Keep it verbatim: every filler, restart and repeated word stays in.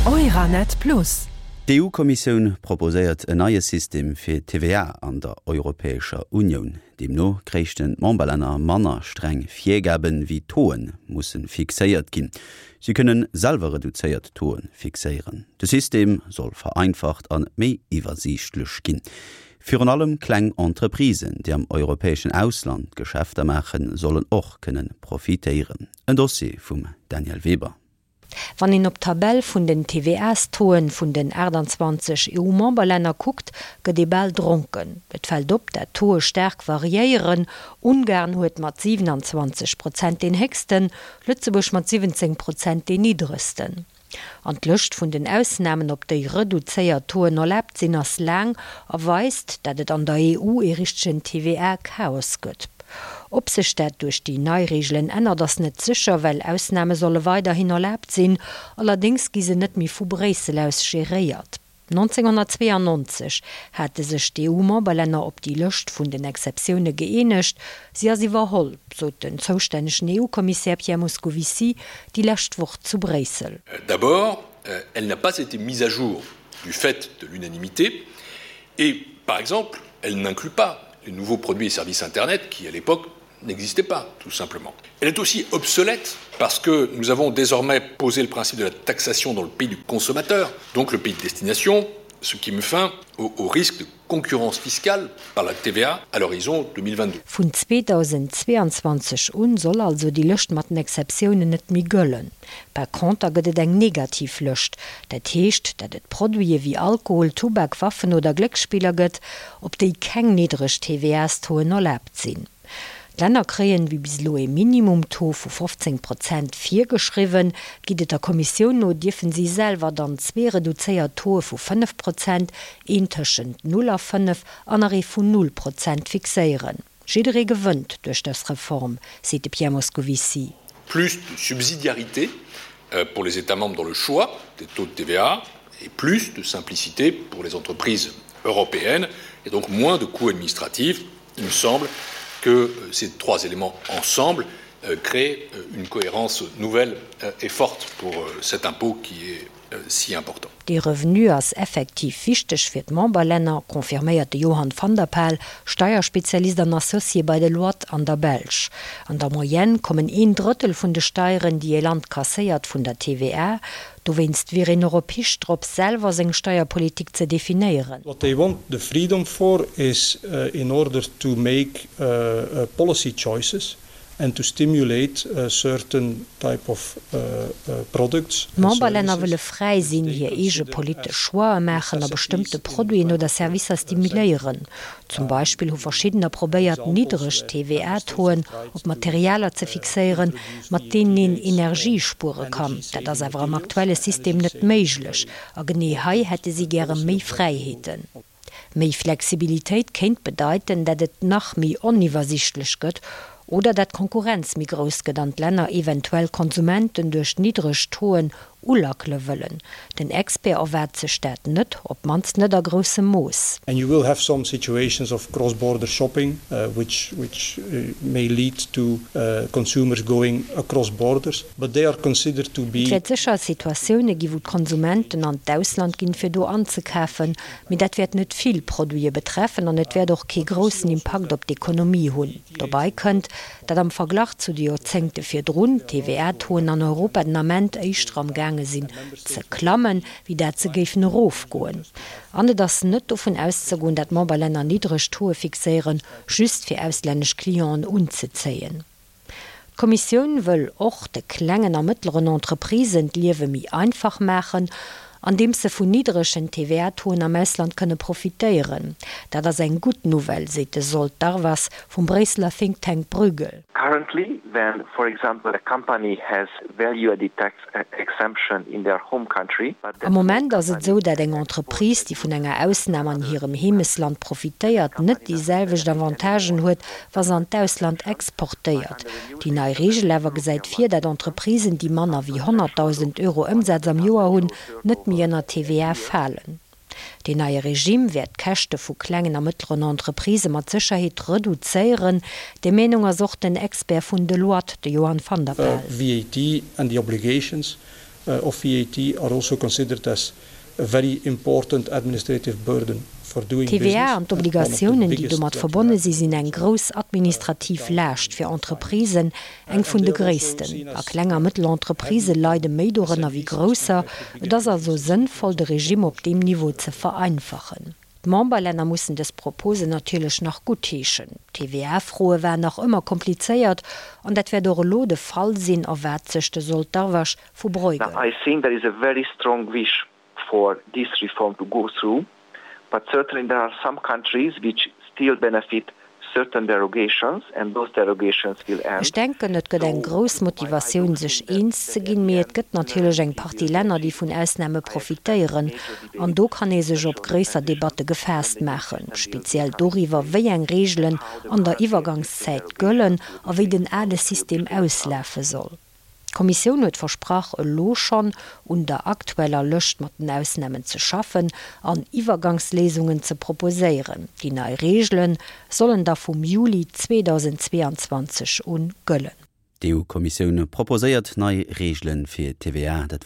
Euranet Plus. D'EU-Kommissioun proposéiert en neie System fir d'TVA an der Europäescher Unioun. Deemno kréichten d'Memberlänner manner streng Virgaben, wéi d'Tauxen musse fixéiert ginn. Si kënne selwer reduzéiert Tauxen fixéieren. De System soll vereinfacht an méi iwwersiichtlech ginn. Virun allem kleng Entreprisen, déi am europäeschen Ausland Geschäfter maachen, sollen och kënne profitéieren. En Dossier vum Danièle Weber. Wann een op d'Tabell vun den TVA-Tauxen vun den achtanzwanzeg E U-Memberlänner kuckt, gëtt ee bal dronken. Et fält op, dat d'Tauxe staark variéieren. Ungarn huet mat siewenundzwanzeg Prozent den héchsten, Lëtzebuerg mat siwwenzéng Prozent den niddregsten. An d'Lëscht vun den Ausnamen, op déi reduzéiert Tauxen erlaabt sinn, ass laang a weist, dat et an der E U ee richtegen T V A-Chaos gëtt. Ob sech dat duerch déi nei Reegelen ännert, ass net sécher, well Ausname solle weiderhin erlaabt sinn, allerdéngs gi se net méi vu Bréissel aus geréiert. nonzénghonnertzweeangnonzeg hate sech d'E U-Memberlänner op déi Lëscht vun den Exceptioune gëeenegt. Si ass iwwerholl, sot den zoustännegen E U-Kommissär Pierre Moscovici déi lescht Woch zu Bréissel. D'abord, elle n'a pas été mise à jour du fait de l'unanimité et, par exemple, elle n'inclut pas les nouveaux produits et services internet qui, à l'époque, n'existaient pas, tout simplement. Elle est aussi obsolète parce que nous avons désormais posé le principe de la taxation dans le pays du consommateur, donc le pays de destination, ce qui met fin au, au risque de concurrence fiscale par la T V A à l'horizon deux mille vingt-deux. Vun zweedausendzweeanzwanzeg un soll also déi Lëscht mat den Exceptiounen net méi gëllen. Par conter gëtt et eng negativ Lëscht. Dat heescht, dat et Produite wéi Alkohol, Tubak, Waffen oder Glécksspiller gëtt, op déi keng niddreg T V A-Tauxen erlaabt sinn. D'Länner kréien wéi bis elo e Minimum-Taux vu fofzéng Prozent virgeschriwwen. Geet et der Kommissioun no, dierfen si selwer dann zwee reduzéiert Tauxe vu fënnef Prozent, een tëschent null a fënnef an nach ee vun null Prozent fixéieren. Jidderee gewënnt duerch dës Reform, seet de Pierre Moscovici. Plus de subsidiarité pour les États membres dans le choix des taux de T V A et plus de simplicité pour les entreprises européennes et donc moins de coûts administratifs. Il me semble que ces trois éléments ensemble créent une cohérence nouvelle et forte pour cet impôt qui est si important. Dee Revenu ass effektiv wichteg fir d'Memberlänner, confirméiert de Johan van der Pal, Steierspezialist an Associé bei Deloitte an der Belsch. An der Moyenne kommen een Drëttel vun de Steieren, déi e Land kasséiert, vun der T V A. Dowéinst wier een och erpicht drop, selwer seng Steierpolitik ze definéieren. What they want the freedom for is in order to make policy choices and to stimulate certain type of products and D'Memberlänner services. Wëlle fräi sinn, hir eege politesch Choixë maachen a bestëmmte Produiten oder Servicer stimuléieren. Zum Beispill hu verschiddener probéiert, niddereg T V A-Tauxen op Materialer ze fixéieren, mat deenen een Energie spuere kann. Dat ass awer am aktuelle System net méiglech a genee hei hätte si gäre méi Fräiheeten. Méi Flexibilitéit kéint bedeiten, dat et nach méi oniwwersiichtlech gëtt oder dat d'Konkurrenz méi grouss gëtt an d'Länner eventuell Konsumenten duerch niddreg Tauxen ulackele wëllen. Den Expert erwaart sech dat net, op d'mannst net a groussem Mooss. And you will have some situations of cross-border shopping, which which may lead to consumers going across borders, but they are considered to be. Et wäert sécher Situatioune gi wou d'Konsumenten an d'Ausland ginn, fir do anzekafen, mee dat wäert net vill Produite betreffen an et wäert och kee groussen Impakt op d'Ekonomie hunn. Dobäi kënnt, datt am Verglach zu de Joerzéngte virdrun d'T V A-Tauxen an Europa den Ament éischter am gaange sinn ze klammen, wéi dat se géifen erofgoen. An et ass net dovun auszegoen, dat d'Memberlänner niddreg Tauxe fixéieren, just fir auslännesch Clienten unzezéien. D'Kommissioun wëll och de klengen a mëttleren Entreprisen d'Liewe méi einfach maachen, andeems se vun niddregen T V A-Tauxen am Ausland kënne profitéieren. Dat ass eng gutt Nouvelle, seet de Zsolt Darvas vum Bréisseler Think Tank Bruegel. Currently, when, for example, a company has value-added tax exemption in their home country, but Am Moment ass et esou, dat eng Entreprise, déi vun enger Ausnam an hirem Heemechtsland profitéiert, net déi selwecht Avantagen huet, wa se an d'Ausland exportéiert. Déi nei Reegel awer gesäit vir, dat Entreprisen, déi manner wéi honnertdausend Euro Ëmsaz am Joer hunn, net méi ënner T V A falen. Deen neie Regime wäert d'Käschte vu klengen a mëttleren Entreprisë mat Sécherheet reduzéieren. Där Meenung ass och den Expert vun Deloitte, de Johan van der Pal. V A T and the obligations uh, of VAT are also considered as a very important administrative burden for doing D'TVA an d'Obligatiounen, déi domat verbonne si sinn eng grouss administrativ Laascht fir Entreprisen, eng vun de gréissten. A kleng a mëttel Entreprisë leide méi dorënner wéi grousser. Et ass also sënnvoll, de Regime op deem Niveau ze vereinfachen. D'Memberlänner mussen dës Propose natierlech nach guttheeschen. D'TVA-Froe waren nach ëmmer komplizéiert an dat wäert och elo de Fall sinn, erwaart sech de Zsolt Darvas vu Bruegel. Now I think there is a very strong wish for this reform to go through, but certainly there are some countries which still benefit certain derogations and those derogations will end. Ech denken, et gëtt eng grouss Motivatioun sech eens ze ginn, mee et gëtt natierlech eng Partie Länner, déi vun Ausname profitéieren an do kann ee sech op gréisser Debatte gefaasst maachen, speziell doriwwer, wéi eng Reegelen an der Iwwergangszäit gëllen a wéi den ale System auslafe soll. D'Kommissioun huet versprach, elo schonn un der aktueller Lëscht mat den Ausnamen ze schaffen an Iwwergangsléisungen ze proposéieren. Déi nei Reegele sollen da vum Juli zweedausendzweeanzwanzeg un gëllen. D'EU-Kommissioun proposéiert nei Reegele fir d'TVA. Dat